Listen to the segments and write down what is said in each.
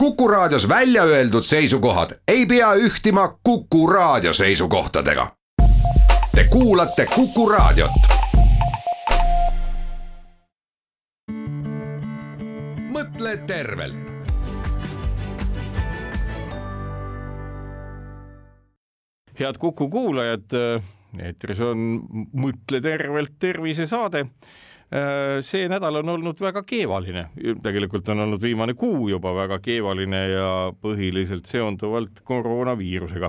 Kuku Raadios välja öeldud seisukohad ei pea ühtima Kuku Raadio seisukohtadega. Te kuulate Kuku Raadiot. Mõtle tervelt. Head Kuku kuulajad, eetris on Mõtle tervelt tervisesaade. See nädal on olnud väga keevaline, tegelikult on olnud viimane kuu juba väga keevaline ja põhiliselt seonduvalt koroonaviirusega.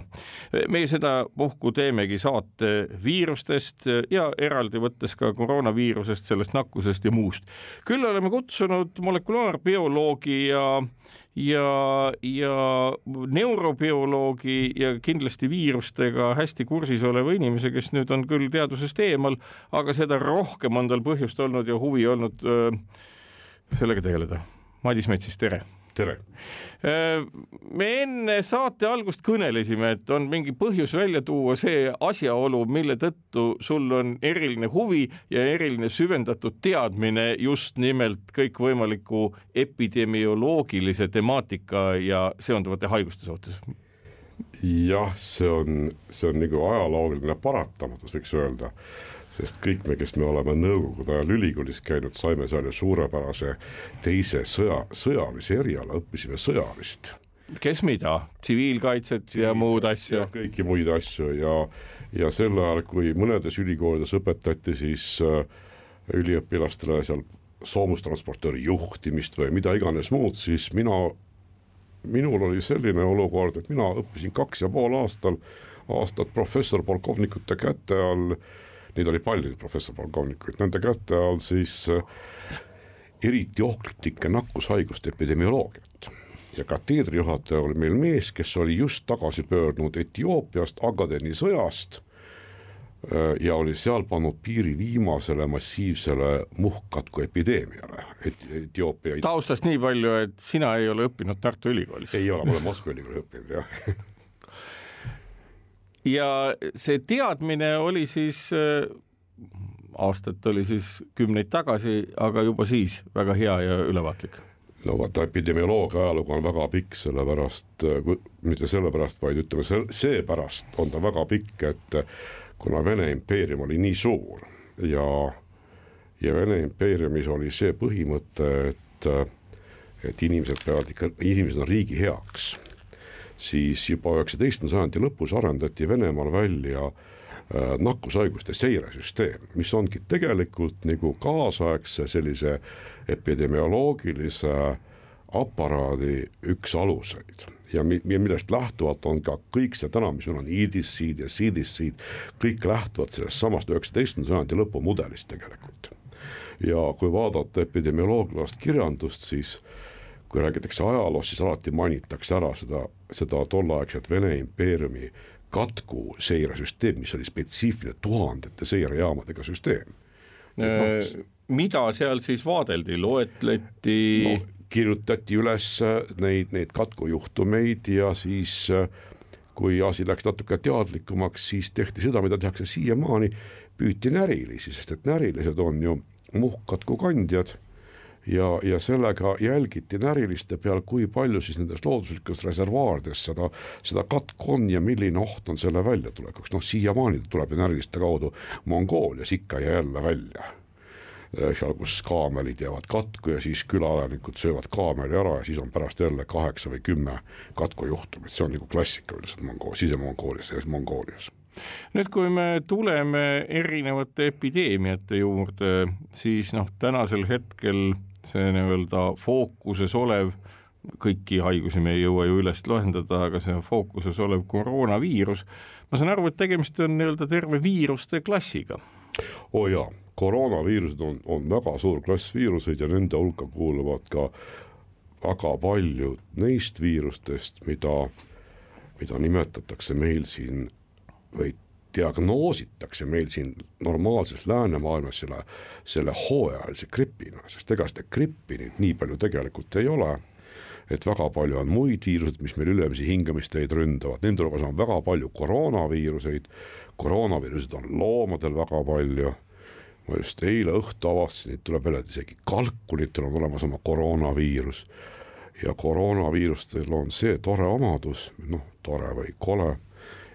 Me seda puhku teemegi saate viirustest ja eraldi võttes ka koroonaviirusest, sellest nakkusest ja muust. Küll oleme kutsunud molekulaarbioloogi ja neurobioloogi ja kindlasti viirustega hästi kursis oleva inimese, kes nüüd on küll teadusest eemal, aga seda rohkem on tal põhjust olnud ja huvi olnud sellega tegeleda. Madis Metsis, tere! Tere! Me enne saate algust kõnelesime, et on mingi põhjus välja tuua see asjaolu, mille tõttu sul on eriline huvi ja eriline süvendatud teadmine just nimelt kõikvõimaliku epidemioloogilise temaatika ja seonduvate haiguste suhtes. Jah, see on nagu ajaloogiline paratamatus, võiks öelda, sest kõik me, kes me oleme nõukogude ajal ülikoolis käinud, saime seal ju suurepärase teise sõjalise eriala, õppisime sõjalist. Kes mida? Tsiviilkaitset ja muud asju? Ja kõiki muid asju ja sel ajal, kui mõnedes ülikoolides õpetati siis üliõpilastele seal soomustransportööri juhtimist või mida iganes muud, siis minul oli selline olukord, et mina õppisin 2,5 aastat professor polkovnikute käte all, neid oli palju professor polkovnikuid, nende käte all siis eriti ohtlike nakkushaiguste epidemioloogiat. Ja kateedrijuhataja oli meil mees, kes oli just tagasi pöördunud Etioopiast, Agadeni sõjast ja oli seal pannud piiri viimasele massiivsele muhkkatku epideemiale. Etioopia... Taustast nii palju, et sina ei ole õppinud Tartu Ülikoolis. Ei ole, ma olen Moskva Ülikoolis õppinud, jah. Ja see teadmine oli siis, aastat oli siis 10 tagasi, aga juba siis väga hea ja ülevaatlik. No vaata, epidemioloogia ajalugu on väga pikk, sellepärast, mitte sellepärast, vaid ütleme, seepärast on ta väga pikk, et kuna Vene impeerium oli nii suur ja Vene impeeriumis oli see põhimõte, et inimesed on riigi heaks, siis juba 19. sajandi lõpus arendati Venemaal välja nakkushaiguste seiresüsteem, mis ongi tegelikult nagu kaasaegse sellise epidemioloogilise aparaadi üks aluseid. Ja millest lähtuvalt on ka kõik see täna, mis meil on IDIS-id ja CDC-id, kõik lähtuvad sellest samast 19. sajandi lõpu mudelist tegelikult. Ja kui vaadata epidemioloogilast kirjandust, siis kui räägitakse ajaloost, siis alati mainitakse ära seda tolleaegset Vene impeeriumi katku seiresüsteem, mis oli spetsiifiline tuhandete seirejaamadega süsteem. Mida seal siis vaadeldi? Loetleti? No, kirjutati üles neid katkujuhtumeid ja siis, kui asi läks natuke teadlikumaks, siis tehti seda, mida tehakse siiamaani, püüti närilisi, sest et närilised on ju muhkkatku kandjad ja sellega jälgiti näriliste peal, kui palju siis nendes looduslikust reservaardes seda katku on ja milline oht on selle väljatulekuks. No siiamaani tuleb näriliste kaudu Mongoolias ikka ja jälle välja. Seal, kus kaamelid jäävad katku ja siis külaelanikud söövad kaameli ära ja siis on pärast jälle 8 või 10 katkujuhtumit. See on nagu klassika üldiselt Sise-Mongoolias ja Mongoolias. Nüüd, kui me tuleme erinevate epideemiate juurde, siis tänasel hetkel see fookuses olev, kõiki haigusi me ei jõua ju üles loendada, aga see fookuses olev koroonaviirus, ma saan aru, et tegemist on terve viiruste klassiga. Jaa, koroonaviirused on väga suur klass viiruseid ja nende hulka kuuluvad ka väga palju neist viirustest, mida nimetatakse meil siin või diagnoositakse meil siin normaalses läänemaailmas selle hooajalise gripina, sest ega seda grippi nii palju tegelikult ei ole, et väga palju on muid viirused, mis meil ülemisi hingamisteid ründavad, nende hulgas on väga palju koroonaviiruseid on loomadel väga palju, ma just eile õhtu avastasin, et tuleb veel, et isegi kalkulitel on olemas oma koroonaviirus ja koroonaviirustel on see tore omadus, tore või kole,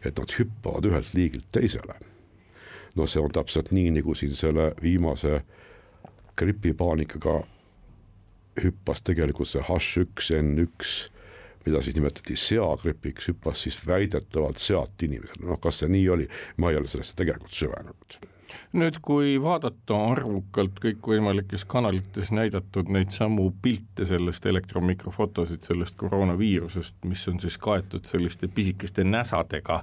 et nad hüppavad ühelt liigilt teisele. No see on täpselt nii, nagu siin selle viimase gripipaanikaga hüppas tegelikult see H1N1, mida siis nimetati seagripiks, hüppas siis väidetavalt sealt inimesele. Kas see nii oli? Ma ei ole sellesse tegelikult süvenenud. Nüüd, kui vaadata arvukalt kõikvõimalikes kanalites näidatud neid samu pilte sellest elektromikrofotosid, sellest koroonaviirusest, mis on siis kaetud selliste pisikeste näsadega.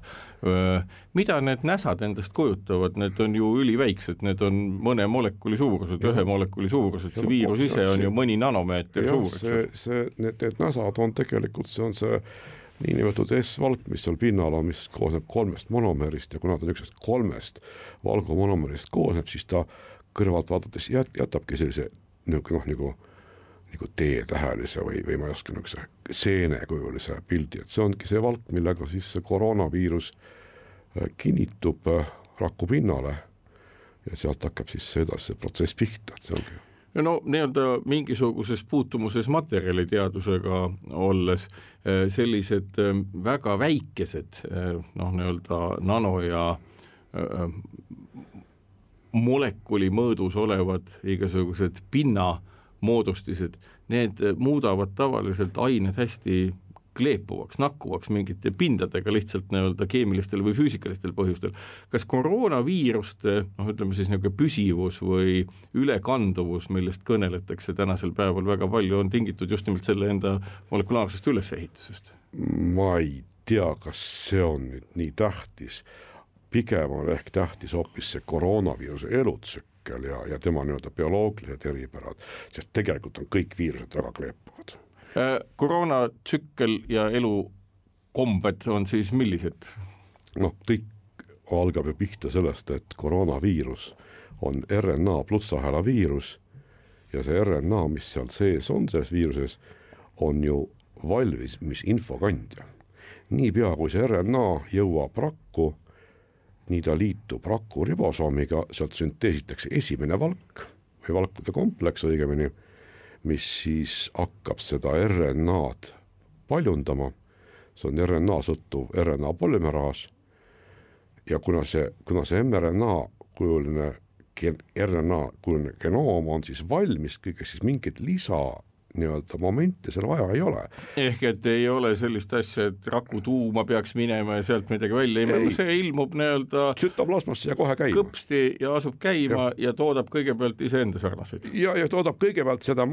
Mida need näsad endast kujutavad? Need on ju üliväiksed, need on mõne molekuli suurused, ühe molekuli suurused, see viirus ise on ju mõni nanomeeter suureks. Need näsad on tegelikult, see on see niinimetatud S-valk, mis seal pinnal on, mis koosneb 3 monomerist ja kuna ta üksteist 3 valgumonomerist koosneb, siis ta kõrvalt vaadates jätabki sellise nagu T-tähelise või ma ei oska seenekujulise pildi, et see ongi see valk, millega siis see koroonaviirus kinnitub raku pinnale ja sealt hakkab siis edasi see protsess pihta, et see ongi. No nii-öelda mingisuguses puutumuses materjaliteadusega olles sellised väga väikesed nii-öelda nano ja molekuli mõõdus olevad igasugused pinnamoodustised, need muudavad tavaliselt ained hästi kleepuvaks, nakkuvaks mingite pindadega lihtsalt nii-öelda keemilistel või füüsikalistel põhjustel. Kas koroonaviiruste, ütleme siis niisugune püsivus või ülekanduvus, millest kõneletakse tänasel päeval väga palju, on tingitud just nimelt selle enda molekulaarsest ülesehitusest? Ma ei tea, kas see on nüüd nii tähtis. Pigem on ehk tähtis hoopis see koroonaviiruse elutsükkel ja tema nii-öelda bioloogilised eripärad, sest tegelikult on kõik viirused väga kleepuvad. Koroonatsükkel ja elukombed on siis millised? Kõik algab ju pihta sellest, et koroonaviirus on RNA plussahela viirus ja see RNA, mis seal sees on selles viiruses, on ju valmis, mis infokandja. Niipea kui see RNA jõuab rakku, nii ta liitub raku ribosoomiga, sealt sünteesitakse esimene valk või valkude kompleks õigemini, mis siis hakkab seda RNA-d paljundama, see on RNA sõltuv RNA polümeraas ja kuna see mRNA kujuline genoom on siis valmis, kõigest siis mingit lisa nii-öelda momente seal vaja ei ole. Ehk et ei ole sellist asja, et raku tuuma peaks minema ja sealt midagi välja ilmuma, see ilmub nii-öelda tsütoplasmasse ja kohe käima. Kõpsti ja asub käima ja toodab kõigepealt iseenda sarnaseid. Ja toodab kõigepealt selle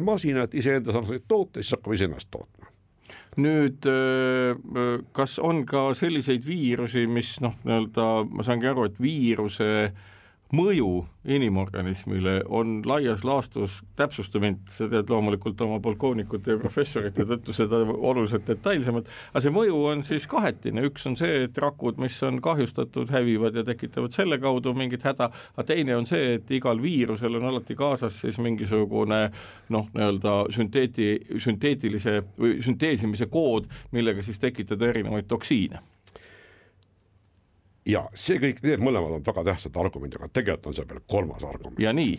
masinat iseenda sarnaseid toote, siis hakkab iseennast tootma. Nüüd, kas on ka selliseid viirusi, mis nii-öelda, ma saangi aru, et viiruse mõju inimorganismile on laias laastus täpsustamine, sa tead loomulikult oma polkoonikute ja professorite tõttu seda oluliselt detailsemalt, aga see mõju on siis kahetine, üks on see, et rakud, mis on kahjustatud, hävivad ja tekitavad selle kaudu mingit häda, aga teine on see, et igal viirusel on alati kaasas siis mingisugune nii-öelda sünteetilise või sünteesimise kood, millega siis tekitada erinevaid toksiine. Ja see kõik, need mõlemad on väga tähtsad argumendid, aga tegelikult on see veel 3. argument. Ja nii.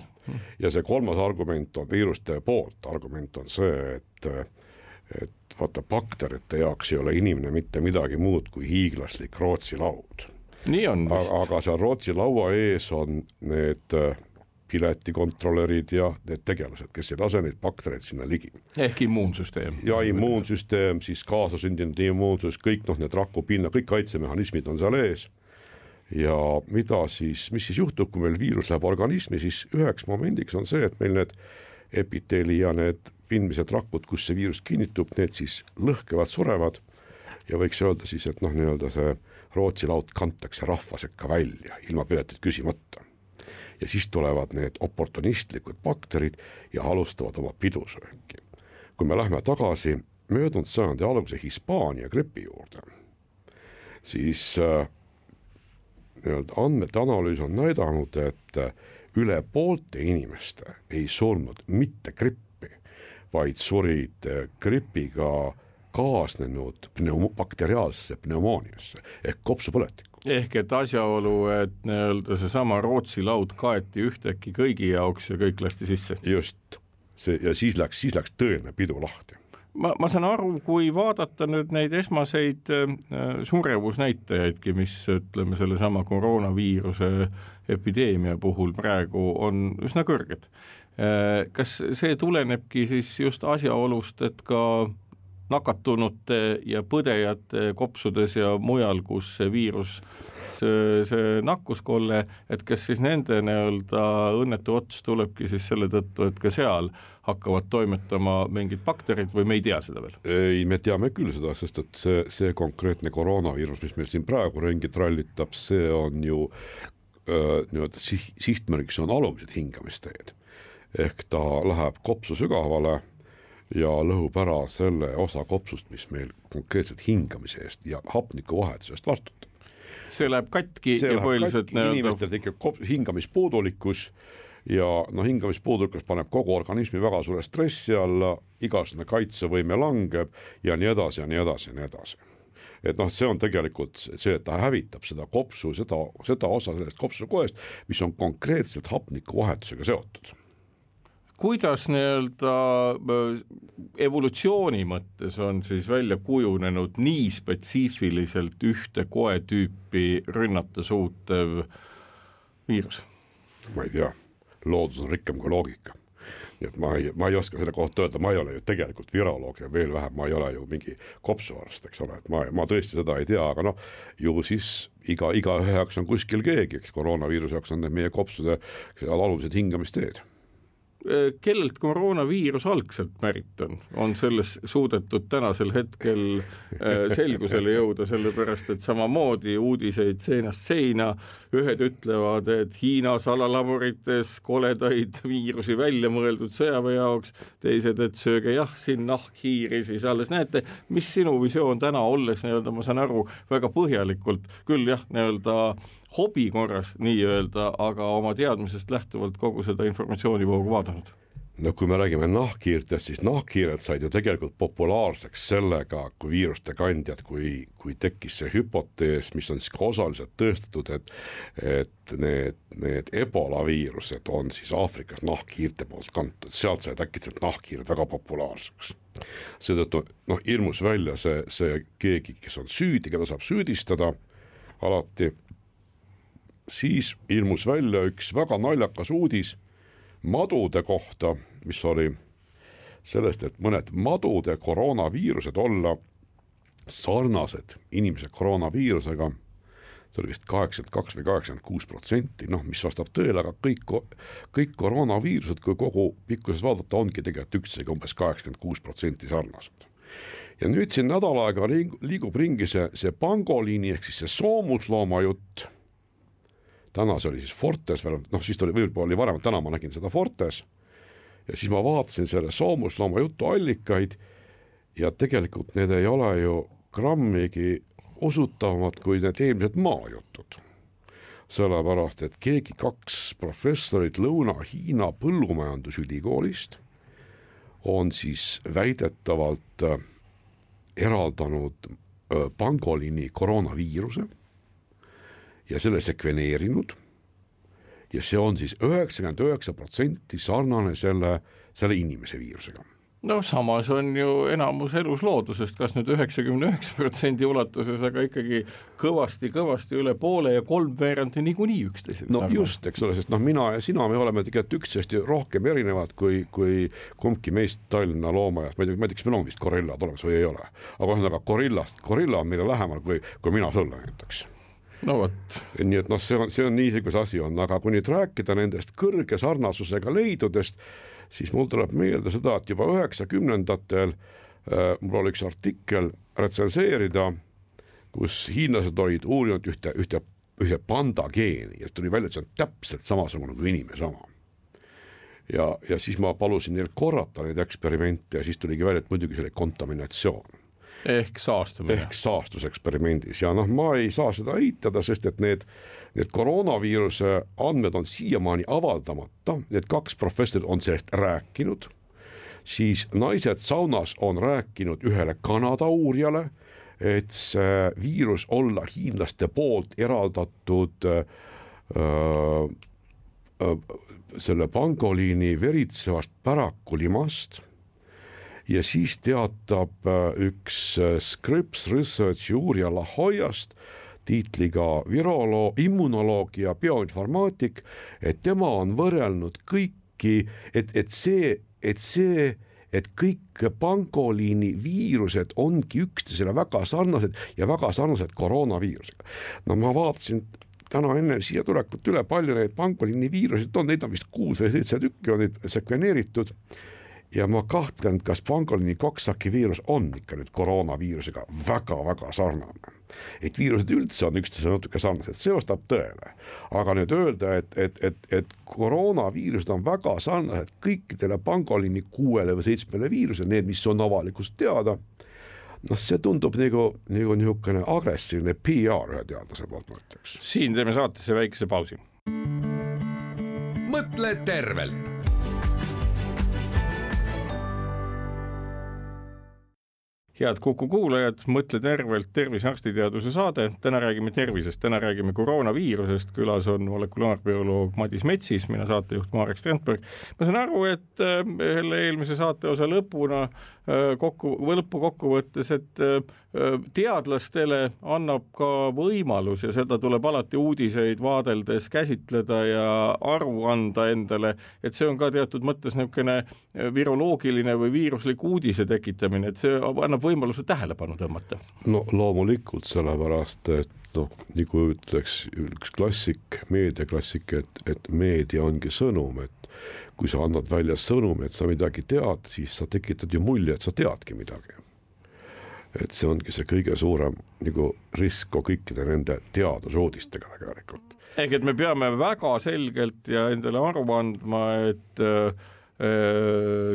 Ja see 3. argument on viiruste poolt. Argument on see, et vaata bakterite jaoks ei ole inimene mitte midagi muud kui hiiglaslik Rootsi laud. Nii on. Aga seal Rootsi laua ees on need piletikontrolörid ja need tegelased, kes ei lase neid baktereid sinna ligi. Ehk immuunsüsteem. Ja immuunsüsteem, siis kaasasündinud immuunsus, kõik need rakupinna, kõik kaitsemehhanismid on seal ees. Ja mis siis juhtub, kui meil viirus läheb organismi, siis üheks momendiks on see, et meil need epiteeli ja need pindmised rakud, kus see viirus kinnitub, need siis lõhkevad, surevad ja võiks öelda siis, et nii-öelda see Rootsi laud kantakse rahva sekka välja, ilma piletit küsimata. Ja siis tulevad need oportunistlikud bakterid ja alustavad oma pidusööki. Kui me lähme tagasi möödunud sajandi alguse Hispaania gripi juurde, siis andmete analüüs on näidanud, et üle poolte inimeste ei surnud mitte grippi, vaid surid gripiga kaasnenud bakteriaalsesse pneumooniasse ehk kopsupõletikku. Ehk et asjaolu, et nii-öelda see sama Rootsi laud kaeti ühtäkki kõigi jaoks ja kõik lasti sisse. Just, ja siis läks tõeline pidu lahti. ma saan aru, kui vaadata nüüd neid esmaseid surevusnäitajaidki, mis ütleme selle sama koroonaviiruse epideemia puhul praegu on üsna kõrged. Kas see tulenebki siis just asjaolust, et ka nakatunute ja põdejate kopsudes ja mujal, kus see viirus, see nakkuskolle, et kas siis nende õnnetu ots tulebki siis selle tõttu, et ka seal hakkavad toimetama mingid bakterid või me ei tea seda veel? Ei, me teame küll seda, sest et see konkreetne koroonaviirus, mis meil siin praegu ringi trallitab, see on ju sihtmärgiks on alumised hingamisteed. Ehk ta läheb kopsu sügavale ja lõhub ära selle osa kopsust, mis meil konkreetselt hingamise eest ja hapniku vahetusest vastutab. See läheb katki ja põhiliselt inimestel tekib hingamispuudulikkus ja hingamispuudulikkus paneb kogu organismi väga suure stressi alla, igasugune kaitsevõime langeb ja nii edasi ja nii edasi ja nii edasi. Et see on tegelikult see, et ta hävitab seda kopsu, seda osa sellest kopsukoest, mis on konkreetselt hapniku vahetusega seotud. Kuidas evolutsiooni mõttes on siis välja kujunenud nii spetsiifiliselt ühte koetüüpi rünnata suutev viirus? Ma ei tea, loodus on rikkam kui loogika. Nii et ma ei oska selle kohta öelda, ma ei ole ju tegelikult viroloog ja veel vähem, ma ei ole ju mingi kopsuarst, eks ole, et ma tõesti seda ei tea, aga ju siis iga ühe jaoks on kuskil keegi, eks koroonaviiruse jaoks on meie kopsude alumised hingamisteed. Kellelt koroonaviirus algselt pärit on? On selles suudetud tänasel hetkel selgusele jõuda, sellepärast et samamoodi uudiseid seinast seina, ühed ütlevad, et Hiina salalamurites koledaid viirusi välja mõeldud sõjaväe jaoks, teised, et sööge siin nahkhiiri, siis alles näete, mis sinu visioon täna olles, ma saan aru, väga põhjalikult, küll hobi korras nii-öelda, aga oma teadmisest lähtuvalt kogu seda informatsioonivoogu vaadanud. Kui me räägime nahkhiirtest, siis nahkhiired said ju tegelikult populaarseks sellega, kui viiruste kandjad, kui tekkis see hüpotees, mis on siis ka osaliselt tõestatud, et need ebola viirused on siis Aafrikas nahkhiirte poolt kantud, sealt said äkitselt nahkhiired väga populaarseks. Seetõttu ilmus välja see keegi, kes on süüdi, keda saab süüdistada alati. Siis ilmus välja üks väga naljakas uudis madude kohta, mis oli sellest, et mõned madude koroonaviirused olla sarnased inimese koroonaviirusega, see oli vist 82 või 86%, mis vastab tõele, aga kõik koroonaviirused, kui kogu pikkuses vaadata, ongi tegelikult üksteisega umbes 86% sarnased. Ja nüüd siin nädal aega liigub ringi see pangoliini ehk siis see soomuslooma jutt. Täna see oli siis Fortes, siis võib-olla oli varem, täna ma nägin seda Fortes ja siis ma vaatasin selle soomuslooma jutu allikaid ja tegelikult need ei ole ju grammigi usutavamad kui need eelmised maajutud. Sellepärast, et keegi 2 professorit Lõuna-Hiina põllumajandusülikoolist on siis väidetavalt eraldanud pangoliini koroonaviiruse ja selle sekveneerinud ja see on siis 99% sarnane selle inimese viirusega. Samas on ju enamus elusloodusest, kas nüüd 99% ulatuses, aga ikkagi kõvasti üle poole ja 3/4 niikuinii üksteisega sarnane. Just, eks ole, sest mina ja sina, me oleme tegelikult üksteist rohkem erinevad kui kumbki meist Tallinna loomajast. Ma ei tea, kas meil on vist gorillad olemas või ei ole, aga gorilla on meile lähemal kui mina sulle näiteks. Nii et see on niisuguse asi on, aga kui nüüd rääkida nendest kõrge sarnasusega leidudest, siis mul tuleb meelde seda, et juba 90-ndatel mul oli üks artikkel retsenseerida, kus hiinlased olid uurinud ühte panda geeni ja tuli välja, et see on täpselt samasugune kui inimese oma. Ja siis ma palusin neil korrata neid eksperimente ja siis tuligi välja, et muidugi see oli kontaminatsioon. Ehk saastuseksperimendis ja ma ei saa seda eitada, sest et need koroonaviiruse andmed on siiamaani avaldamata, need 2 professorit on sellest rääkinud, siis naised saunas on rääkinud ühele Kanada uurijale, et see viirus olla hiinlaste poolt eraldatud selle pangoliini veritsevast pärakulimast ja siis teatab üks Scripps Researchi uurija La Jollast tiitliga viroloog, immunoloog ja bioinformaatik, et tema on võrrelnud kõiki, et kõik pangoliini viirused ongi üksteisele väga sarnased ja väga sarnased koroonaviirusega. No ma vaatasin täna enne siia tulekut üle palju neid pangoliini viiruseid on, neid on vist 6 või 7 tükki on neid sekveneeritud ja ma kahtlen, kas pangoliini Coxsackie viirus on ikka nüüd koroonaviirusega väga-väga sarnane. Et viirused üldse on üksteisele natuke sarnased, see vastab tõele. Aga nüüd öelda, et koroonaviirused on väga sarnased kõikidele pangoliini 6 või 7 viirusele, need, mis on avalikust teada, noh, see tundub nagu niisugune agressiivne PR ühe teadlase poolt, ma ütleks. Siin teeme saatesse väikese pausi. Mõtle tervelt. Head Kuku kuulajad, Mõtle tervelt, tervisearstiteaduse saade. Täna räägime tervisest, täna räägime koroonaviirusest. Külas on molekulaarbioloog Madis Metsis, mina saatejuht Marek Strandberg. Ma saan aru, et eelmise saate osa lõppu kokkuvõttes, et teadlastele annab ka võimalus ja seda tuleb alati uudiseid vaadeldes käsitleda ja aru anda endale, et see on ka teatud mõttes niisugune viroloogiline või viiruslik uudise tekitamine, et see annab võimaluse tähelepanu tõmmata. No loomulikult sellepärast, et nagu ütleks üks klassik, meediaklassik, et meedia ongi sõnum, et kui sa annad välja sõnum, et sa midagi tead, siis sa tekitad ju mulje, et sa teadki midagi. Et see ongi see kõige suurem nagu risk kõikide nende teadusuudistega tegelikult. Ehk et me peame väga selgelt ja endale aru andma, et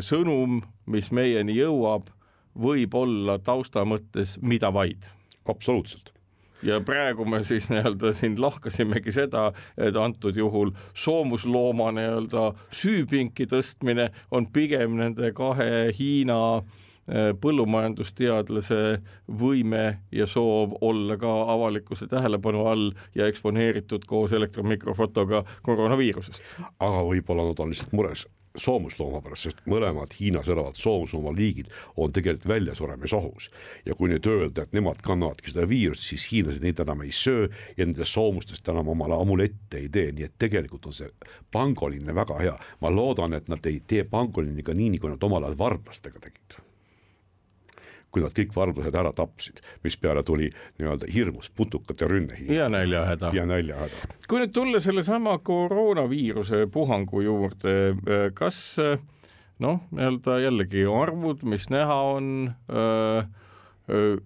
sõnum, mis meieni jõuab, võib olla tausta mõttes mida vaid. Absoluutselt. Ja praegu me siis siin lahkasimegi seda, et antud juhul soomuslooma süüpinki tõstmine on pigem nende 2 Hiina põllumajandusteadlase võime ja soov olla ka avalikkuse tähelepanu all ja eksponeeritud koos elektronmikrofotoga koroonaviirusest. Aga võib-olla nad on lihtsalt mures soomuslooma pärast, sest mõlemad Hiinas elavad soomuslooma liigid on tegelikult väljasuremisohus. Ja kui nüüd öelda, et nemad kannavadki seda viirust, siis hiinlased neid enam ei söö ja nende soomustest enam omale amulette ei tee. Nii et tegelikult on see pangoliine väga hea. Ma loodan, et nad ei tee pangoliiniga nii, kui nad omal ajal varblastega tegid. Kui nad kõik varblased ära tapsid, mis peale tuli hirmus putukate rünne. Ja näljahäda. Kui nüüd tulla selle sama koroonaviiruse puhangu juurde, kas jällegi arvud, mis näha on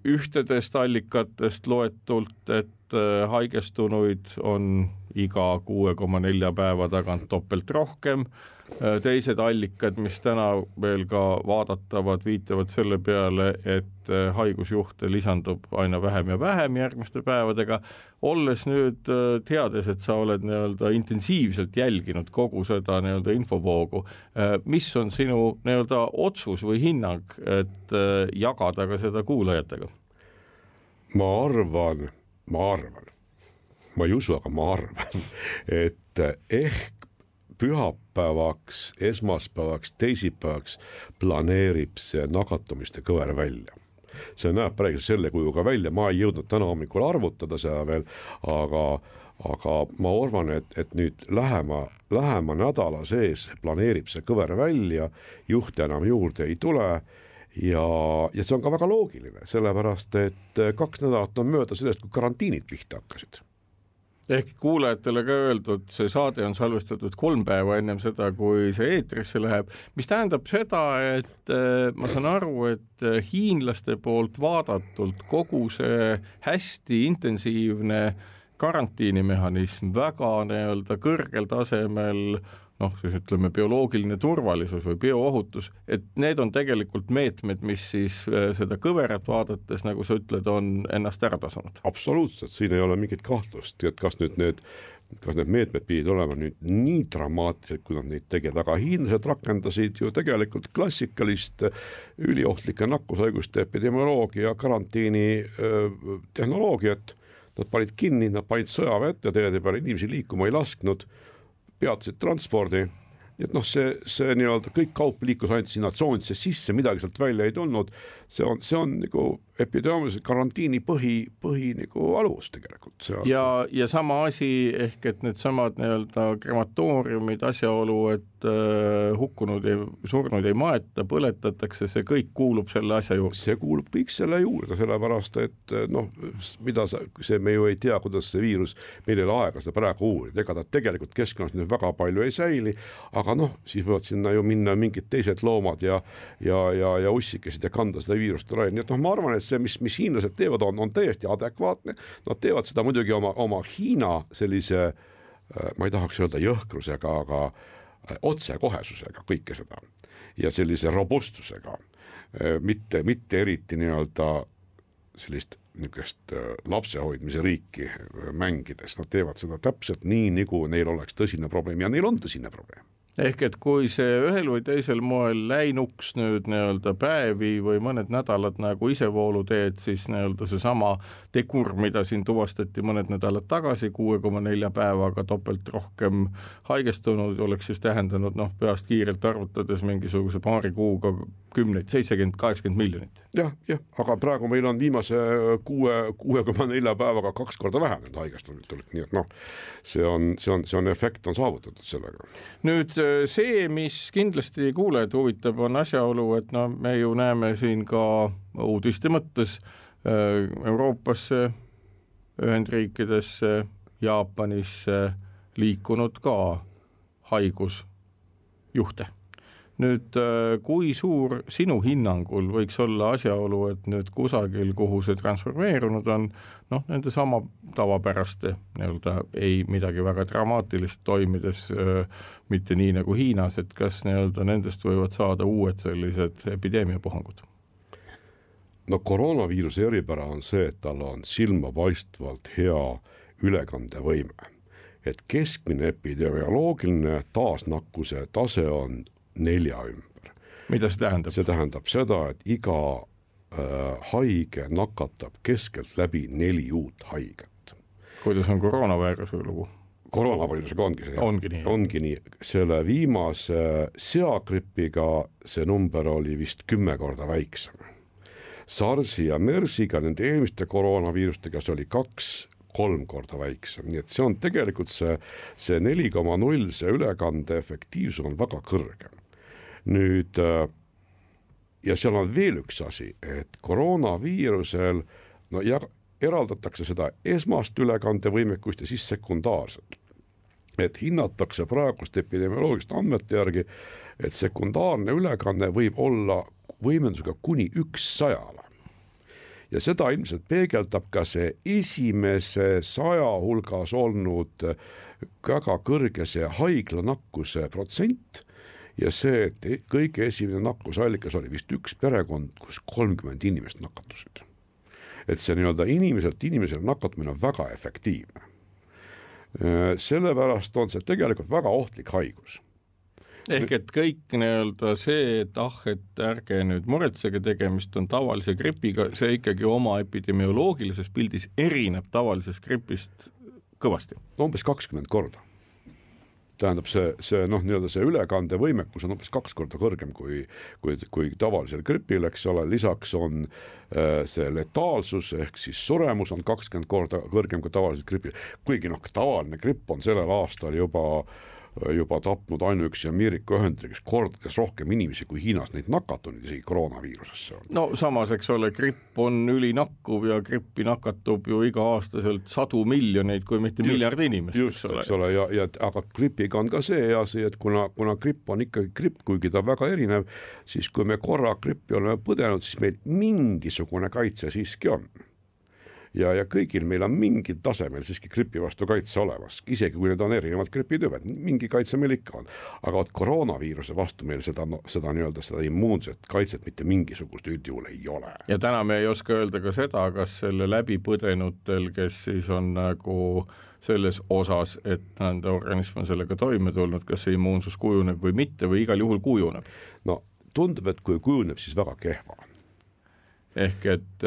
ühtedest allikatest loetult, et haigestunuid on iga 6,4 päeva tagant toppelt rohkem. Teised allikad, mis täna veel ka vaadatavad, viitavad selle peale, et haigusjuhte lisandub aina vähem ja vähem järgmiste päevadega. Olles nüüd teades, et sa oled intensiivselt jälginud kogu seda infovoogu, mis on sinu otsus või hinnang, et jagada ka seda kuulajatega? Ma arvan, ma ei usu, aga ma arvan, et ehk pühapäevaks, esmaspäevaks, teisipäevaks planeerib see nakatumiste kõver välja. See näeb praegu selle kujuga välja, ma ei jõudnud täna hommikul arvutada seda veel, aga ma arvan, et nüüd lähema nädala sees planeerib see kõver välja, juhte enam juurde ei tule ja see on ka väga loogiline, sellepärast et 2 nädalat on mööda sellest, kui karantiinid pihta hakkasid. Ehk kuulajatele ka öeldud, see saade on salvestatud 3 päeva ennem seda, kui see eetrisse läheb, mis tähendab seda, et ma saan aru, et hiinlaste poolt vaadatult kogu see hästi intensiivne karantiinimehhanism väga kõrgel tasemel, siis ütleme bioloogiline turvalisus või bioohutus, et need on tegelikult meetmed, mis siis seda kõverat vaadates, nagu sa ütled, on ennast ära tasunud. Absoluutselt, siin ei ole mingit kahtlust, et kas need meetmed pidid olema nüüd nii dramaatilised, kui nad neid tegid, aga hiinlased rakendasid ju tegelikult klassikalist üliohtlike nakkushaiguste epidemioloogia karantiini tehnoloogiat. Nad panid kinni, nad panid sõjaväe ette, teede peale inimesi liikuma ei lasknud, peatasid transpordi et noh, see nii-öelda kõik kaup liikus ainult sinna tsoonisse sisse, midagi sealt välja ei tulnud, see on nagu epidemiologilise karantiini põhi nagu alus tegelikult. Ja sama asi ehk, et need samad nii-öelda krematooriumid, asjaolu, et hukkunud ja surnud ei maeta, põletatakse, see kõik kuulub selle asja juurde. See kuulub kõik selle juurde, sellepärast, et noh, me ju ei tea, kuidas see viirus, meil ei ole aega seda praegu uurida, ega ta tegelikult keskkonnas nüüd väga palju ei säili, aga noh, siis võivad sinna ju minna mingid teised loomad ja ussikesid ja kanda seda viirust ära. Nii et noh, ma arvan, et see, mis hiinlased teevad, on täiesti adekvaatne. Nad teevad seda muidugi oma Hiina sellise, ma ei tahaks öelda jõhkrusega, aga otsekohesusega kõike seda ja sellise robustusega, mitte eriti nii-öelda sellist niisugust lapsehoidmise riiki mängides. Nad teevad seda täpselt nii, nagu neil oleks tõsine probleem ja neil on tõsine probleem. Ehk et kui see ühel või teisel moel läinuks nüüd nii-öelda päevi või mõned nädalad nagu isevoolu teed, siis nii-öelda see sama tegur, mida siin tuvastati mõned nädalad tagasi, 6,4 päevaga topelt rohkem haigestunud, oleks siis tähendanud peast kiirelt arvutades mingisuguse paari kuuga 70-80 miljonit. Jah, aga praegu meil on viimase 6,4 päevaga 2 korda vähenenud haigestunud, nii et noh, see on efekt on saavutatud sellega. Nüüd see, mis kindlasti kuulajad huvitab, on asjaolu, et me ju näeme siin ka uudiste mõttes Euroopasse, Ühendriikidesse, Jaapanisse liikunud ka haigusjuhte. Nüüd, kui suur sinu hinnangul võiks olla asjaolu, et nüüd kusagil, kuhu see transformeerunud on, nende sama tavapäraste, nii-öelda ei midagi väga dramaatilist toimides, mitte nii nagu Hiinas, et kas nii-öelda nendest võivad saada uued sellised epideemiapuhangud? No koroonaviiruse eripära on see, et tal on silmapaistvalt hea ülekandevõime. Et keskmine epidemioloogiline taasnakkuse tase on 4 ümber. Mida see tähendab? See tähendab seda, et iga haige nakatab keskelt läbi 4 uut haiget. Kuidas on koroonaviiruse lugu? Koroonaviirusega ongi see. Ongi nii. Selle viimase seagripiga see number oli vist 10 korda väiksem. SARSi ja MERSiga, nende eelmiste koroonaviirustega, see oli 2-3 korda väiksem. Nii et see on tegelikult see 4,0, see ülekande efektiivsus on väga kõrge. Nüüd, ja seal on veel üks asi, et koroonaviirusel eraldatakse seda esmast ülekandevõimekust ja siis sekundaarset. Et hinnatakse praegust epidemioloogilist andmete järgi, et sekundaarne ülekanne võib olla võimendusega kuni 100. Ja seda ilmselt peegeldab ka see esimese 100 hulgas olnud väga kõrge see haiglanakkuse protsent ja see, et kõige esimene nakkusallikas oli vist üks perekond, kus 30 inimest nakatusid. Et see nii-öelda inimesele nakatumine on väga efektiivne. Sellepärast on see tegelikult väga ohtlik haigus. Ehk et kõik nii-öelda see, et ärge nüüd muretsege, tegemist on tavalise gripiga, see ikkagi oma epidemioloogilises pildis erineb tavalisest gripist kõvasti. Umbes 20 korda. Tähendab see ülekandevõimekus on umbes 2 korda kõrgem kui tavalisel gripil, eks ole, lisaks on see letaalsus ehk siis suremus on 20 korda kõrgem kui tavalisel gripil, kuigi tavaline gripp on sellel aastal juba tapnud ainuüksi Ameerika Ühendriigis kordades rohkem inimesi kui Hiinas neid nakatunud isegi koroonaviirusesse. No samas, eks ole, gripp on ülinakkuv ja grippi nakatub ju iga aastaselt 100 miljoneid, kui mitte miljard inimest. Just, eks ole, aga gripiga on ka see asi, et kuna gripp on ikkagi gripp, kuigi ta väga erinev, siis kui me korra grippi oleme põdenud, siis meil mingisugune kaitse siiski on. Ja kõigil meil on mingil tasemel siiski gripi vastu kaitse olemas, isegi kui need on erinevad gripitüübed, mingi kaitse meil ikka on. Aga koroonaviiruse vastu meil seda immuunset kaitset mitte mingisugust üldjuhul ei ole. Ja täna me ei oska öelda ka seda, kas selle läbipõdenutel, kes siis on nagu selles osas, et nende organism on sellega toime tulnud, kas see immuunsus kujuneb või mitte või igal juhul kujuneb? No tundub, et kui kujuneb, siis väga kehva. Ehk et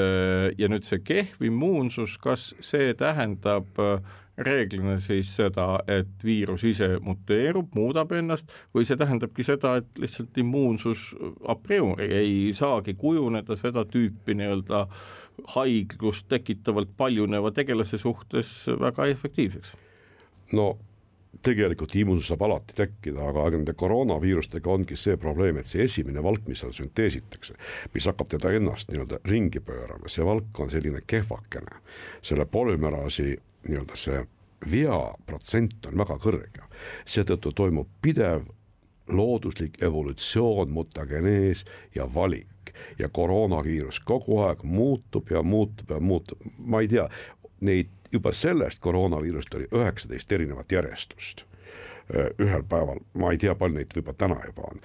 ja nüüd see kehv immuunsus, kas see tähendab reeglina siis seda, et viirus ise muteerub, muudab ennast, või see tähendabki seda, et lihtsalt immuunsus a priori ei saagi kujuneda seda tüüpi nii-öelda haiglust tekitavalt paljuneva tegelase suhtes väga efektiivseks? No tegelikult immuunsus saab alati tekkida, aga nende koroonaviirustega ongi see probleem, et see esimene valk, mis seal sünteesitakse, mis hakkab teda ennast nii-öelda ringi pöörama, see valk on selline kehvakene. Selle polümeraasi nii-öelda see veaprotsent on väga kõrge. Seetõttu toimub pidev looduslik evolutsioon, mutagenees ja valik. Ja koroonaviirus kogu aeg muutub ja muutub ja muutub. Ma ei tea, neid juba sellest koroonaviirust oli 19 erinevat järjestust ühel päeval, ma ei tea, palju neid võib-olla täna juba on.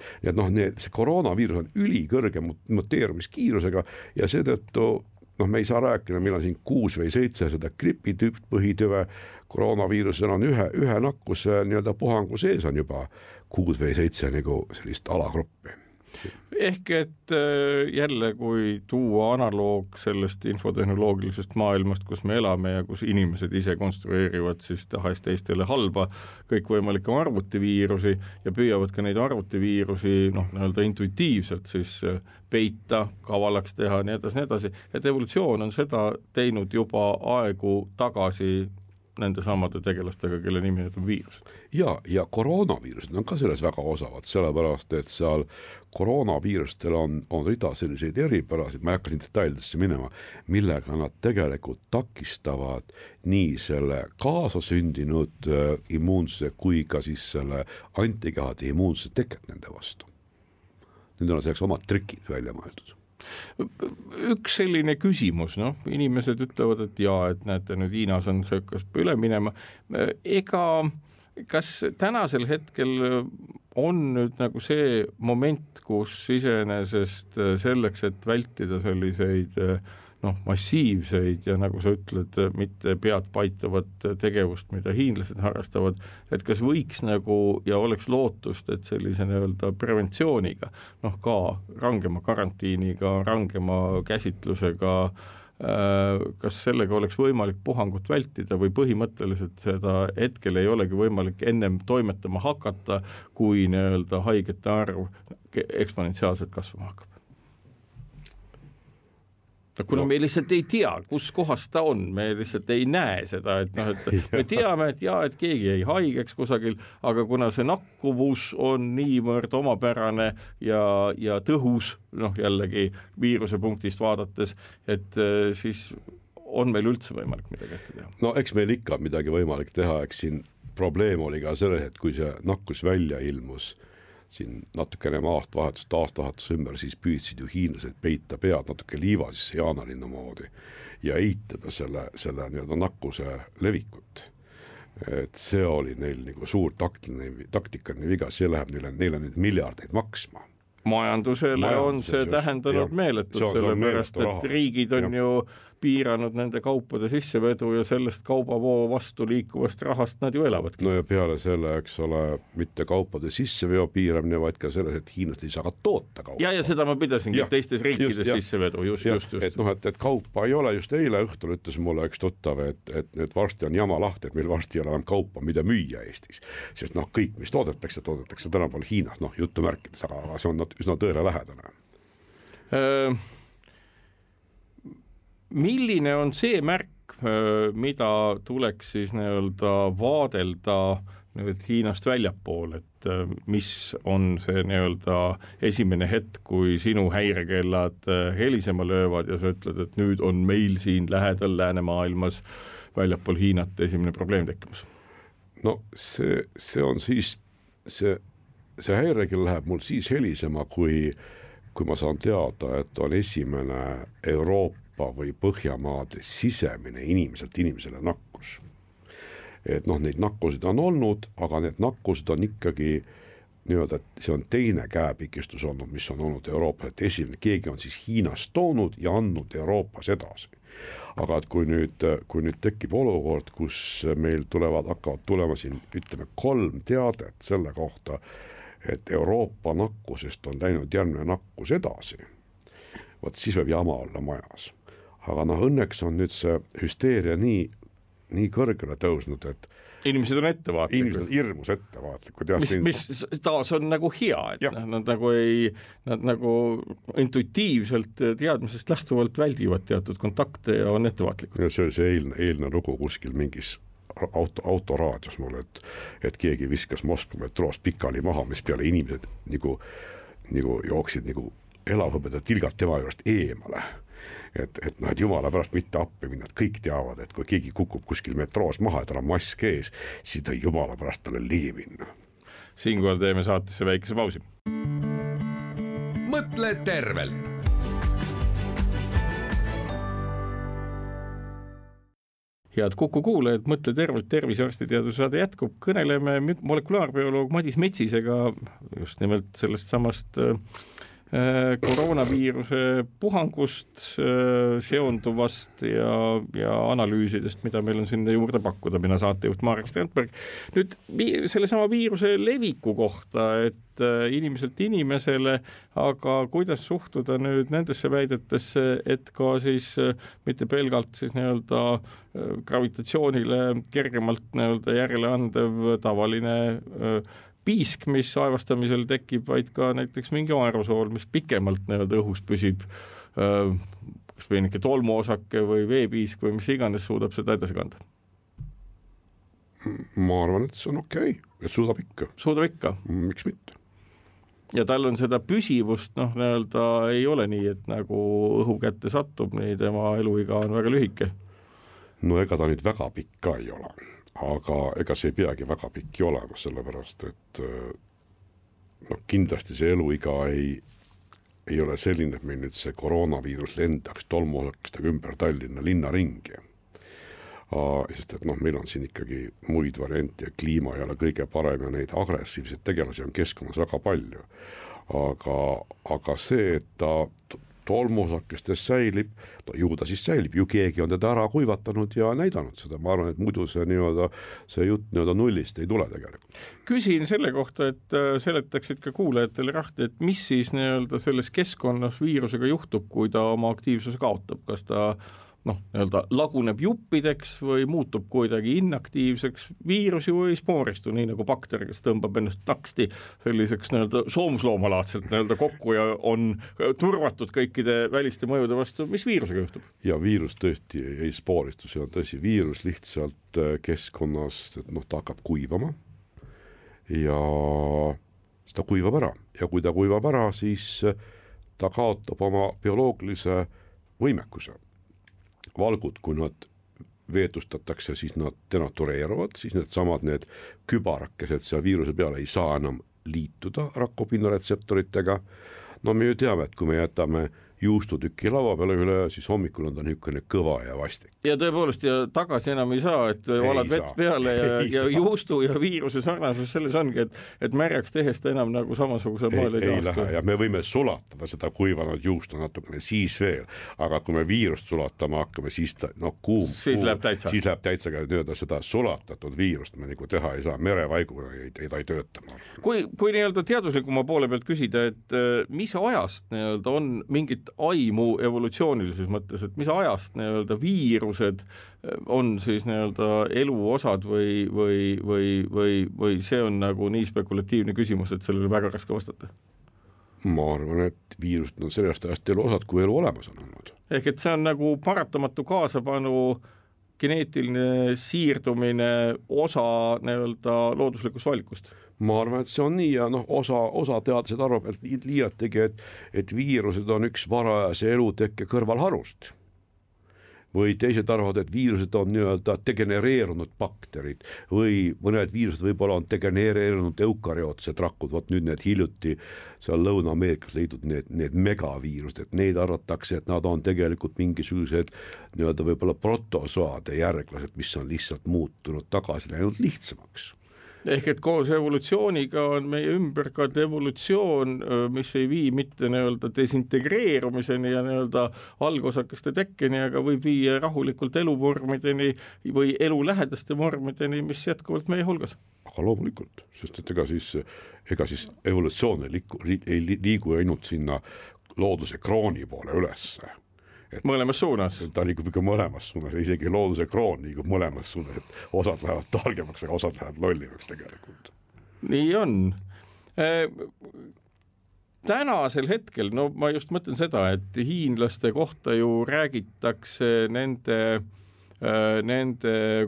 Nii et see koroonaviirus on ülikõrge muteerumiskiirusega ja seetõttu me ei saa rääkida, meil on siin 6 või 7 seda gripitüüp põhitüve, koroonaviirusel on ühe nakkuse nii-öelda puhangu sees on juba 6 või 7 nagu sellist alagruppi. Ehk et jälle, kui tuua analoog sellest infotehnoloogilisest maailmast, kus me elame ja kus inimesed ise konstrueerivad siis tahes teistele halba kõikvõimalikke arvutiviirusi ja püüavad ka neid arvutiviirusi nii-öelda intuitiivselt siis peita, kavalaks teha, nii edasi, et evolutsioon on seda teinud juba aegu tagasi nende samade tegelastega, kelle nimi on viirused. Ja koroonaviirused on ka selles väga osavad, sellepärast, et seal koroonaviirustel on rida selliseid eripärasid, ma ei hakka siin detailidesse minema, millega nad tegelikult takistavad nii selle kaasasündinud immuunsuse kui ka siis selle antikehade immuunsuse teket nende vastu. Nüüd on selleks omad trikid välja mõeldud. Üks selline küsimus, inimesed ütlevad, et jaa, et näete, nüüd Hiinas on see hakkas üle minema. Kas tänasel hetkel on nüüd nagu see moment, kus iseenesest selleks, et vältida selliseid massiivseid ja nagu sa ütled, mitte pead paitavat tegevust, mida hiinlased harrastavad, et kas võiks nagu ja oleks lootust, et sellise nii-öelda preventsiooniga, ka rangema karantiiniga, rangema käsitlusega, kas sellega oleks võimalik puhangut vältida või põhimõtteliselt seda hetkel ei olegi võimalik ennem toimetama hakata, kui nii-öelda haigete arv eksponentsiaalselt kasvama hakkab? Kuna me lihtsalt ei tea, kus kohas ta on, me lihtsalt ei näe seda, et me teame, et keegi ei haigeks kusagil, aga kuna see nakkuvus on niivõrd omapärane ja tõhus, jällegi viiruse punktist vaadates, et siis on meil üldse võimalik midagi ette teha. No eks meil ikka midagi võimalik teha, eks siin probleem oli ka selles, et kui see nakkus välja ilmus, siin natukene aastavahetus ümber, siis püüdsid ju hiinlased peita pead natuke liiva sisse jaanalinnu moodi ja eitada selle nii-öelda nakkuse levikut. Et see oli neil nagu suur taktikaline viga, see läheb neile nüüd miljardeid maksma. Majandusele on see tähendanud meeletut, sellepärast et riigid on ju piiranud nende kaupade sissevedu ja sellest kaubavoo vastu liikuvast rahast nad ju elavadki. No ja peale selle, eks ole, mitte kaupade sisseveo piiramine, vaid ka selles, et hiinlased ei saa ka toota kaupa. Ja seda ma pidasingi teistes riikides sissevedu, just. Et kaupa ei ole, just eile õhtul ütles mulle üks tuttav, et nüüd varsti on jama lahti, et meil varsti ei ole enam kaupa, mida müüa Eestis. Sest kõik, mis toodetakse tänapäeval Hiinas, juttu märkides, aga see on üsna tõele lähedane. Milline on see märk, mida tuleks siis nii-öelda vaadelda nüüd Hiinast väljapool, et mis on see nii-öelda esimene hetk, kui sinu häirekellad helisema löövad ja sa ütled, et nüüd on meil siin lähedal läänemaailmas väljapool Hiinat esimene probleem tekkimas? No see on siis, see häirekell läheb mul siis helisema, kui ma saan teada, et on esimene Euroopa või Põhjamaade sisemine inimeselt inimesele nakkus. Et neid nakkusid on olnud, aga need nakkused on ikkagi nii-öelda, et see on teine käepikistus olnud, mis on olnud Euroopas, et esimene, keegi on siis Hiinast toonud ja andnud Euroopas edasi. Aga et kui nüüd tekib olukord, kus meil hakkavad tulema siin, ütleme, 3 teadet selle kohta, et Euroopa nakkusest on läinud järgmine nakkus edasi, siis võib jama olla majas. Aga õnneks on nüüd see hüsteeria nii nii kõrgele tõusnud, et inimesed on ettevaatlikud. Inimesed on hirmus ettevaatlikud. Mis taas on nagu hea, et nad nagu intuitiivselt teadmisest lähtuvalt väldivad teatud kontakte ja on ettevaatlikud. Ja see oli see eilne lugu kuskil mingis autoraadios mulle, et keegi viskas Moskva metroos pikali maha, mis peale inimesed nagu jooksid nagu elavhõbeda tilgalt tema juurest eemale. Et jumala pärast mitte appi minna, et kõik teavad, et kui keegi kukub kuskil metroos maha ja tal on mask ees, siis ta jumala pärast talle ligi minna. Siinkohal teeme saatesse väikese pausi. Mõtle tervelt. Head Kuku kuulajad, mõtle tervelt, tervisearstiteaduse saade jätkub. Kõneleme molekulaarbioloog Madis Metsisega just nimelt sellest samast koroonaviiruse puhangust seonduvast ja analüüsidest, mida meil on sinna juurde pakkuda, mina saatejuht Marek Strandberg. Nüüd selle sama viiruse leviku kohta, et inimeselt inimesele, aga kuidas suhtuda nüüd nendesse väidetesse, et ka siis mitte pelgalt siis nii-öelda gravitatsioonile kergemalt nii-öelda järele andev tavaline piisk, mis aevastamisel tekib, vaid ka näiteks mingi aerosool, mis pikemalt nii-öelda õhus püsib, kas peenike tolmuosake või veepiisk või mis iganes suudab seda edasi kanda? Ma arvan, et see on okei, et suudab ikka. Suudab ikka? Miks mitte? Ja tal on seda püsivust, nii-öelda ei ole nii, et nagu õhu kätte satub, nii tema eluiga on väga lühike. No ega ta nüüd väga pikk ka ei ole. Aga ega see ei peagi väga pikki olema, sellepärast, et kindlasti see eluiga ei ole selline, et meil nüüd see koroonaviirus lendaks tolmuosakestega ümber Tallinna linna ringi. Sest et meil on siin ikkagi muid variante ja kliima ei ole kõige parem ja neid agressiivseid tegelasi on keskkonnas väga palju. Aga see, et ta tolmuosakestes säilib, ju ta siis säilib, ju keegi on teda ära kuivatanud ja näidanud seda, ma arvan, et muidu see jutt nullist ei tule tegelikult. Küsin selle kohta, et seletaksid ka kuulajatele rahti, et mis siis nii-öelda selles keskkonnas viirusega juhtub, kui ta oma aktiivsuse kaotab, kas ta laguneb juppideks või muutub kuidagi inaktiivseks, viirus ju ei spooristu, nii nagu bakter, kes tõmbab ennast taksti selliseks soomusloomalaadselt kokku ja on turvatud kõikide väliste mõjude vastu. Mis viirusega juhtub? Ja viirus tõesti ei spooristu, see on tõsi, viirus lihtsalt keskkonnas, ta hakkab kuivama ja ta kuivab ära ja kui ta kuivab ära, siis ta kaotab oma bioloogilise võimekuse. Valgud, kui nad veetustatakse, siis nad denatureeruvad, siis need kübarakesed seal viiruse peale ei saa enam liituda rakupinnaretseptoritega. Me ju teame, et kui me jätame juustutüki lava peale üle, siis hommikul on ta niisugune kõva ja vastik. Ja tõepoolest, ja tagasi enam ei saa, et valad vett peale ja juustu ja viiruse sarnasus selles ongi, et märjaks tehes ta enam nagu samasuguse maal ei lähe ja me võime sulatada seda kuivanud juustu natukene siis veel, aga kui me viirust sulatama hakkame, siis ta kuum, siis läheb täitsa ka seda sulatatud viirust me nagu teha ei saa, merevaiguna ta ei tööta. Kui nii-öelda teaduslikuma poole pealt küsida, et mis ajast nii-öelda on mingit aimu evolutsioonilises mõttes, et mis ajast nii-öelda viirused on siis nii-öelda eluosad või see on nagu nii spekulatiivne küsimus, et sellele väga raske vastata? Ma arvan, et viirused on sellest ajast eluosad, kui elu olemas on olnud. Ehk et see on nagu paratamatu kaasapanu geneetiline siirdumine osa nii-öelda looduslikust valikust? Ma arvan, et see on nii ja osa teadlased arvab, et liiategi, et viirused on üks varajase elutekke kõrvalharust. Või teised arvavad, et viirused on nii-öelda degenereerunud bakterid või mõned viirused võib-olla on degenereerunud eukaryootsed rakud, nüüd need hiljuti seal Lõuna-Ameerikas leidnud need megaviirused, et neid arvatakse, et nad on tegelikult mingisugused nii-öelda võib-olla protozoade järglased, mis on lihtsalt muutunud tagasi läinud lihtsamaks. Ehk et koos evolutsiooniga on meie ümber ka evolutsioon, mis ei vii mitte nii-öelda desintegreerumiseni ja nii-öelda algosakeste tekkeni, aga võib viia rahulikult eluvormideni või elulähedaste vormideni, mis jätkuvalt meie hulgas. Aga loomulikult, sest et ega siis evolutsioon ei liigu ainult sinna looduse krooni poole ülesse. mõlemas suunas. Ta liigub ikka mõlemas suunas, isegi looduse kroon liigub mõlemas suunas, et osad lähevad targemaks, aga osad lähevad lollimaks tegelikult. Nii on. Tänasel hetkel, no ma just mõtlen seda, et hiinlaste kohta ju räägitakse nende,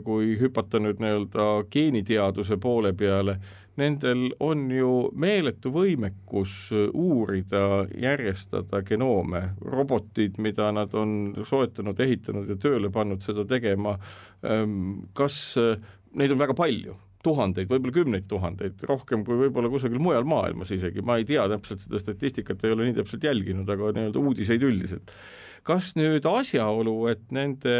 kui hüpata nüüd nii-öelda geeniteaduse poole peale, nendel on ju meeletu võimekus uurida, järjestada genoome, robotid, mida nad on soetanud, ehitanud ja tööle pannud seda tegema. Kas neid on väga palju? Tuhandeid, võib-olla 10 000, rohkem kui võib-olla kusagil mujal maailmas isegi. Ma ei tea täpselt seda statistikat, ei ole nii täpselt jälginud, aga nii-öelda uudiseid üldiselt. Kas nüüd asjaolu, et nende,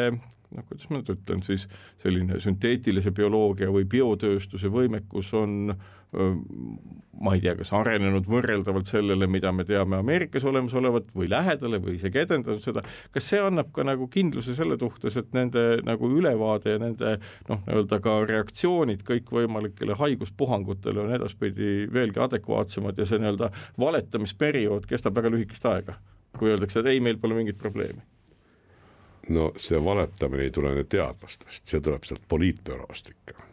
kuidas ma nüüd ütlen, siis selline sünteetilise bioloogia või biotööstuse võimekus on, ma ei tea, kas arenenud võrreldavalt sellele, mida me teame Ameerikas olemas olevat või lähedale või isegi edendanud seda, kas see annab ka nagu kindluse selle suhtes, et nende nagu ülevaade ja nende nii-öelda ka reaktsioonid kõikvõimalikele haiguspuhangutele on edaspidi veelgi adekvaatsemad ja see nii-öelda valetamisperiood kestab väga lühikest aega, kui öeldakse, et ei, meil pole mingit probleemi? No see valetamine ei tule teadlastest, see tuleb sealt poliitbüroost ikka.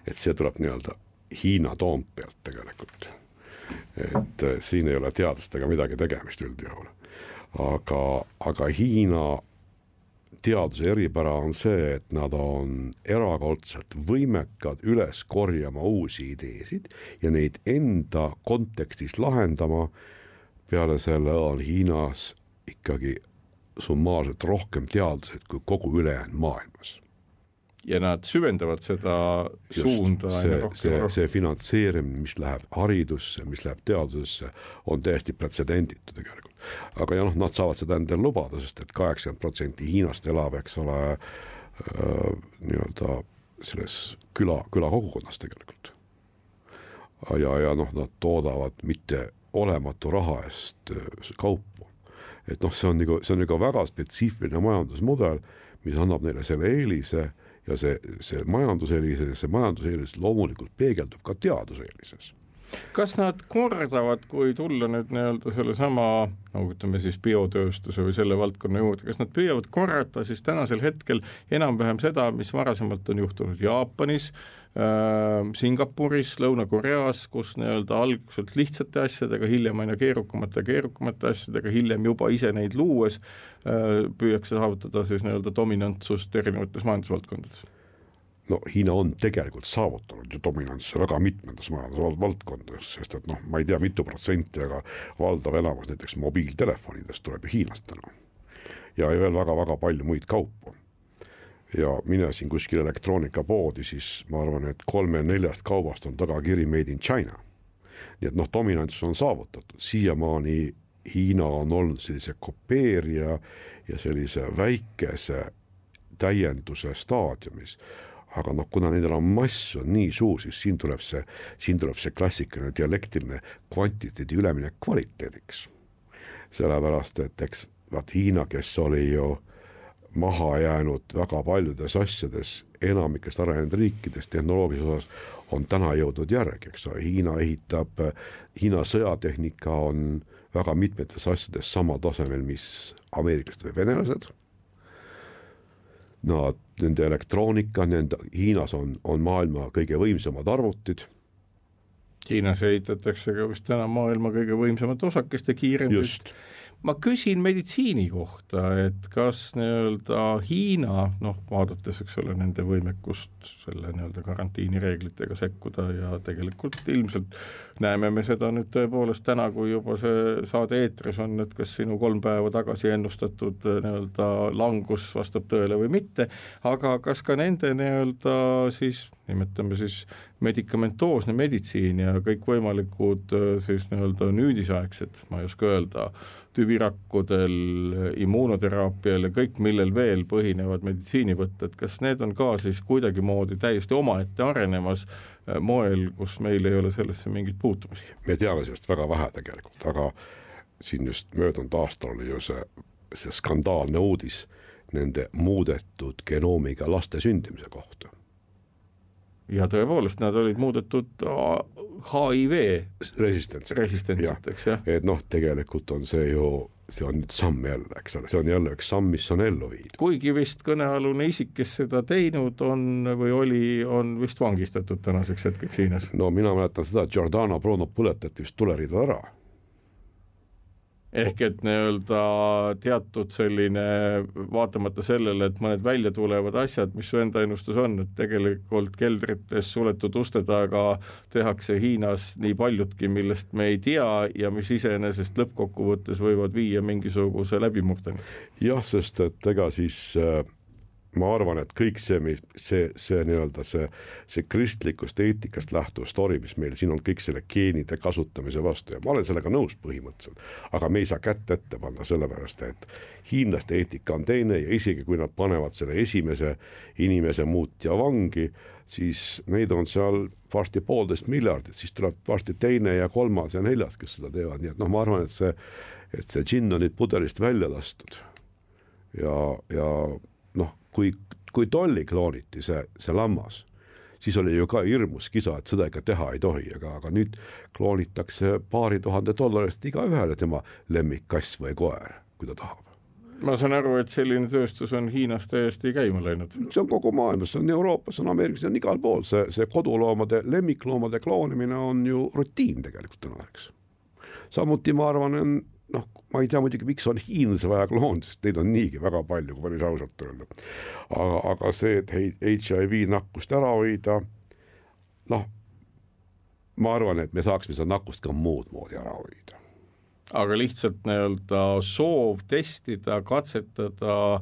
Et see tuleb nii-öelda Hiina Toompealt tegelikult, et siin ei ole teadlastega midagi tegemist üldjuhul, aga Hiina teaduse eripära on see, et nad on erakordselt võimekad üles korjama uusi ideesid ja neid enda kontekstis lahendama. Peale selle on Hiinas ikkagi summaarselt rohkem teadlased kui kogu ülejäänud maailmas. Ja nad süvendavad seda suunda. See finantseerimine, mis läheb haridusse, mis läheb teadusesse, on täiesti pretsedenditu tegelikult. Aga ja nad saavad seda endale lubada, sest et 80% Hiinast elab, eks ole, nii-öelda selles küla kogukonnas tegelikult. Ja nad toodavad mitte olematu raha eest kaupu. Et see on nagu väga spetsiifiline majandusmudel, mis annab neile selle eelise ja see majanduseelis loomulikult peegeldub ka teaduseelises. Kas nad kordavad, kui tulla nüüd nii-öelda selle sama, nagu ütleme siis biotööstuse või selle valdkonna juurde, kas nad püüavad korrata siis tänasel hetkel enam-vähem seda, mis varasemalt on juhtunud Jaapanis, Singapuris, Lõuna-Koreas, kus nii-öelda alguselt lihtsate asjadega, hiljem aina keerukamate asjadega, hiljem juba ise neid luues püüakse saavutada siis nii-öelda dominantsust erinevates majandusvaldkondades? No Hiina on tegelikult saavutanud ju dominantse väga mitmendas majandusvaldkondades, sest et ma ei tea mitu protsenti, aga valdav enamus näiteks mobiiltelefonidest tuleb ju Hiinast täna. Ja veel väga-väga palju muid kaupu. Ja mine siin kuskil elektroonikapoodi, siis ma arvan, et 3-4 kaubast on tagakiri Made in China. Nii et dominantsus on saavutatud. Siiamaani Hiina on olnud sellise kopeerija ja sellise väikese täienduse staadiumis. Aga kuna nendel on mass on nii suur, siis siin tuleb see klassikaline dialektiline kvantiteedi ülemine kvaliteediks. Sellepärast, et eks Hiina, kes oli ju maha jäänud väga paljudes asjades enamikest arenenud riikides tehnoloogilises osas, on täna jõudnud järgi, eks ole. Hiina sõjatehnika on väga mitmetes asjades sama tasemel, mis ameeriklased või venelased. Nende elektroonika, Hiinas on maailma kõige võimsamad arvutid. Hiinas ehitatakse ka vist täna maailma kõige võimsamad osakeste kiirendid. Just. Ma küsin meditsiini kohta, et kas nii-öelda Hiina, vaadates eks ole nende võimekust selle nii-öelda karantiinireeglitega sekkuda ja tegelikult ilmselt näeme me seda nüüd tõepoolest täna, kui juba see saade eetris on, et kas sinu 3 päeva tagasi ennustatud nii-öelda langus vastab tõele või mitte, aga kas ka nende nii-öelda siis, nimetame siis medikamentoosne meditsiin ja kõik võimalikud siis nii-öelda nüüdisaegsed, ma ei oska öelda, tüvirakkudel, immuunoteraapial ja kõik, millel veel põhinevad meditsiinivõtted, kas need on ka siis kuidagimoodi täiesti omaette arenemas moel, kus meil ei ole sellesse mingit puutumisi? Me teame sellest väga vähe tegelikult, aga siin just möödunud aastal oli ju see skandaalne uudis nende muudetud genoomiga laste sündimise kohta. Ja tõepoolest, nad olid muudetud HIV resistentsed, eks jah. Et tegelikult on see ju see on nüüd samm jälle, eks ole, see on jälle üks samm, mis on ellu viidud. Kuigi vist kõnealune isik, kes seda teinud on või on vist vangistatud tänaseks hetkeks Hiinas. No mina mäletan seda, et Giordano Bruno põletati vist tulerida ära. Ehk et nii-öelda teatud selline, vaatamata sellele, et mõned välja tulevad asjad, mis su enda ennustus on, et tegelikult keldrites suletud uste taga tehakse Hiinas nii paljutki, millest me ei tea ja mis iseenesest lõppkokkuvõttes võivad viia mingisuguse läbimurdeni. Jah, sest et ega siis ma arvan, et kõik see nii-öelda see kristlikust eetikast lähtuv story, mis meil siin on kõik selle geenide kasutamise vastu ja ma olen sellega nõus põhimõtteliselt, aga me ei saa kätt ette panna sellepärast, et hiinlaste eetika on teine ja isegi kui nad panevad selle esimese inimese muutja vangi, siis neid on seal varsti 1,5 miljardit, siis tuleb varsti teine ja kolmas ja neljas, kes seda teevad, nii et ma arvan, et see džinn on nüüd pudelist välja lastud ja kui tolli klooniti see lammas, siis oli ju ka hirmus kisa, et seda ikka teha ei tohi, aga nüüd kloonitakse $2,000 iga ühele tema lemmikkass või koer, kui ta tahab. Ma saan aru, et selline tööstus on Hiinas täiesti käima läinud. See on kogu maailmas, see on Euroopas, see on Ameerikas, see on igal pool. See koduloomade, lemmikloomade kloonimine on ju rutiin tegelikult tänaseks. Samuti ma arvan, ma ei tea muidugi, miks on hiinlase vaja kloon, sest neid on niigi väga palju, kui päris ausalt öelda. Aga see, et HIV nakkust ära hoida, ma arvan, et me saaksime seda nakkust ka muud moodi ära hoida. Aga lihtsalt nii-öelda soov testida, katsetada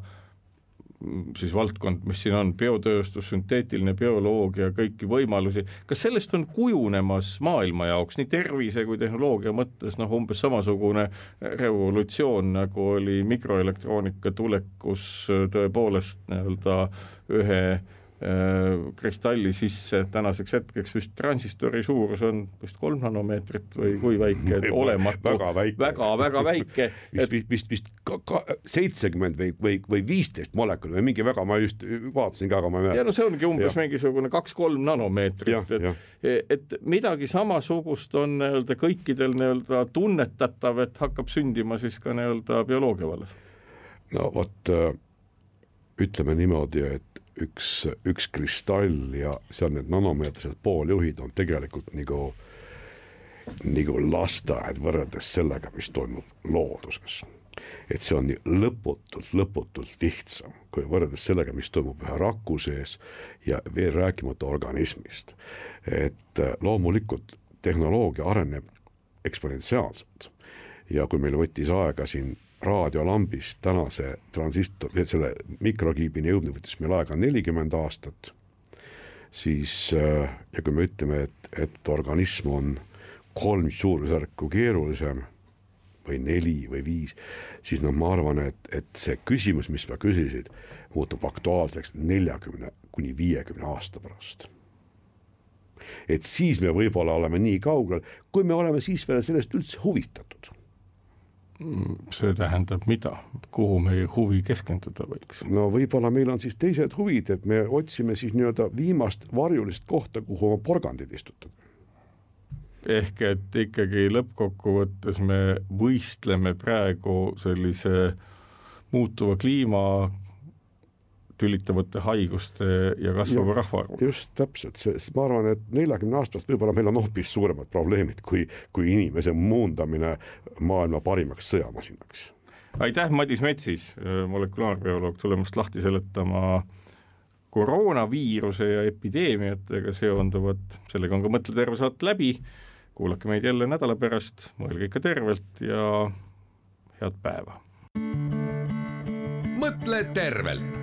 siis valdkond, mis siin on, biotööstus, sünteetiline bioloogia, kõiki võimalusi. Kas sellest on kujunemas maailma jaoks nii tervise kui tehnoloogia mõttes umbes samasugune revolutsioon, nagu oli mikroelektroonika tulekus tõepoolest nii-öelda ühe kristalli sisse tänaseks hetkeks vist transistori suurus on vist 3 nanomeetrit või kui väike, et olematu, väga väike. Vist 70 või 15 molekuli või mingi väga, ma just vaatasin ka, aga ma ei mäleta. Ja see ongi umbes mingisugune 2-3 nanomeetrit, et midagi samasugust on nii-öelda kõikidel nii-öelda tunnetatav, et hakkab sündima siis ka nii-öelda bioloogia vallas. No vot, ütleme niimoodi, et üks kristall ja seal need nanomeetrised pooljuhid on tegelikult nagu lasteaed võrreldes sellega, mis toimub looduses. Et see on lõputult lihtsam, kui võrreldes sellega, mis toimub ühe raku sees ja veel rääkimata organismist. Et loomulikult tehnoloogia areneb eksponentsiaalselt ja kui meil võttis aega siin raadiolambist tänase transistor, selle mikrokiibini jõudnud võttis meil aega 40 aastat, siis ja kui me ütleme, et organism on 3 suurusjärku keerulisem või 4 või 5, siis ma arvan, et see küsimus, mis ma küsisid, muutub aktuaalseks 40-50 aasta pärast. Et siis me võib-olla oleme nii kaugel, kui me oleme siis veel sellest üldse huvitatud. See tähendab mida? Kuhu meie huvi keskenduda võiks? No võib-olla meil on siis teised huvid, et me otsime siis nii-öelda viimast varjulist kohta, kuhu oma porgandid istutada. Ehk et ikkagi lõppkokkuvõttes me võistleme praegu sellise muutuva kliima tülitavate haiguste ja kasvava rahvaarvu. Just täpselt, ma arvan, et 40 aastast võib-olla meil on hoopis suuremad probleemid kui inimese muundamine maailma parimaks sõjamasinaks. Aitäh, Madis Metsis, molekulaarbioloog, tulemast lahti seletama koroonaviiruse ja epideemiatega seonduvat. Sellega on ka Mõtle terve saat läbi. Kuulake meid jälle nädala pärast, mõelge ikka tervelt ja head päeva. Mõtle tervelt.